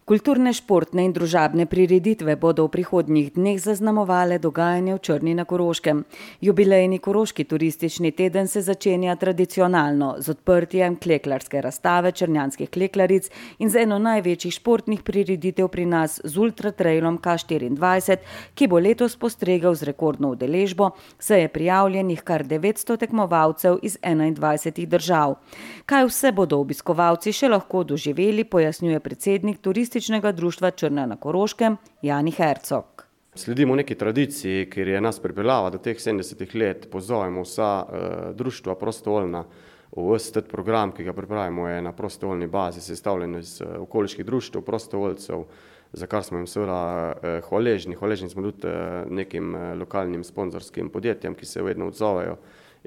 Kulturne, športne in družabne prireditve bodo v prihodnjih dneh zaznamovale dogajanje v Črni na Koroškem. Jubilejni Koroški turistični teden se začenja tradicionalno z odprtjem kleklarske razstave črnjanskih kleklaric in z eno največjih športnih prireditev pri nas z ultratrailom K24, ki bo letos postregel z rekordno udeležbo, saj je prijavljenih kar 900 tekmovalcev iz 21 držav. Kaj vse bodo obiskovalci še lahko doživeli, pojasnjuje predsednik Turističnega društva Črna na Koroškem Jani Hercog. Sledimo neki tradiciji, kjer je nas pripeljala do teh 70 let. Pozovemo vsa društva prostovoljna v vse program, ki ga pripravimo, je na prostovoljni bazi sestavljen iz okoliških društev, prostovoljcev, za kar smo jim seveda hvaležni. Hvaležni smo tudi nekim lokalnim sponzorskim podjetjem, ki se vedno odzovejo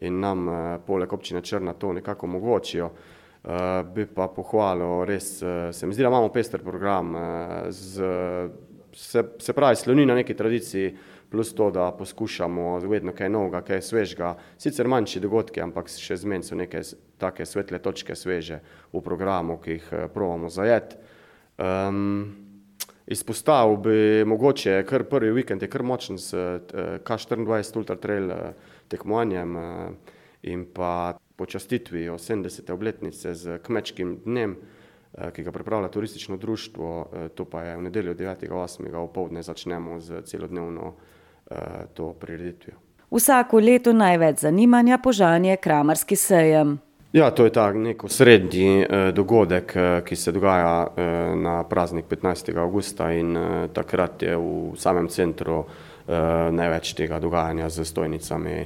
in nam poleg občine Črna to nekako omogočijo. Bi pa pohvalil, res se mi zdi, da imamo pester program, se pravi sloni na neki tradiciji, plus to, da poskušamo vedno kaj novega, kaj svežega, sicer manjši dogodki, ampak še zmeraj so neke take svetle točke sveže v programu, ki jih probamo zajeti. Izpostavil bi mogoče, kar prvi vikend je kar močen s K24 ultratrail tekmovanjem in pa počastitvijo 70. obletnice z kmečkim dnem, ki ga pripravlja turistično društvo, to pa je v nedeljo 9.8. opoldne začnemo z celodnevno to prireditvijo. Vsako leto največ zanimanja požanje kramarski sejem. Ja, to je tak nek osrednji dogodek, ki se dogaja na praznik 15. avgusta in takrat je v samem centru največ tega dogajanja z stojnicami,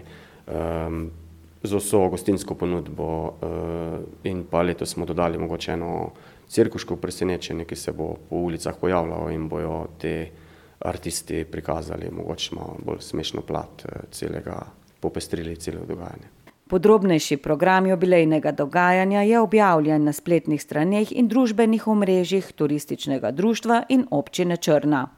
z vso gostinsko ponudbo in pa letos smo dodali mogoče eno cirkuško presenečenje, ki se bo po ulicah pojavljalo in bojo te artisti prikazali mogoče malo bolj smešno plat celega, popestrili celega dogajanja. Podrobnejši program jubilejnega dogajanja je objavljen na spletnih straneh in družbenih omrežjih Turističnega društva in občine Črna.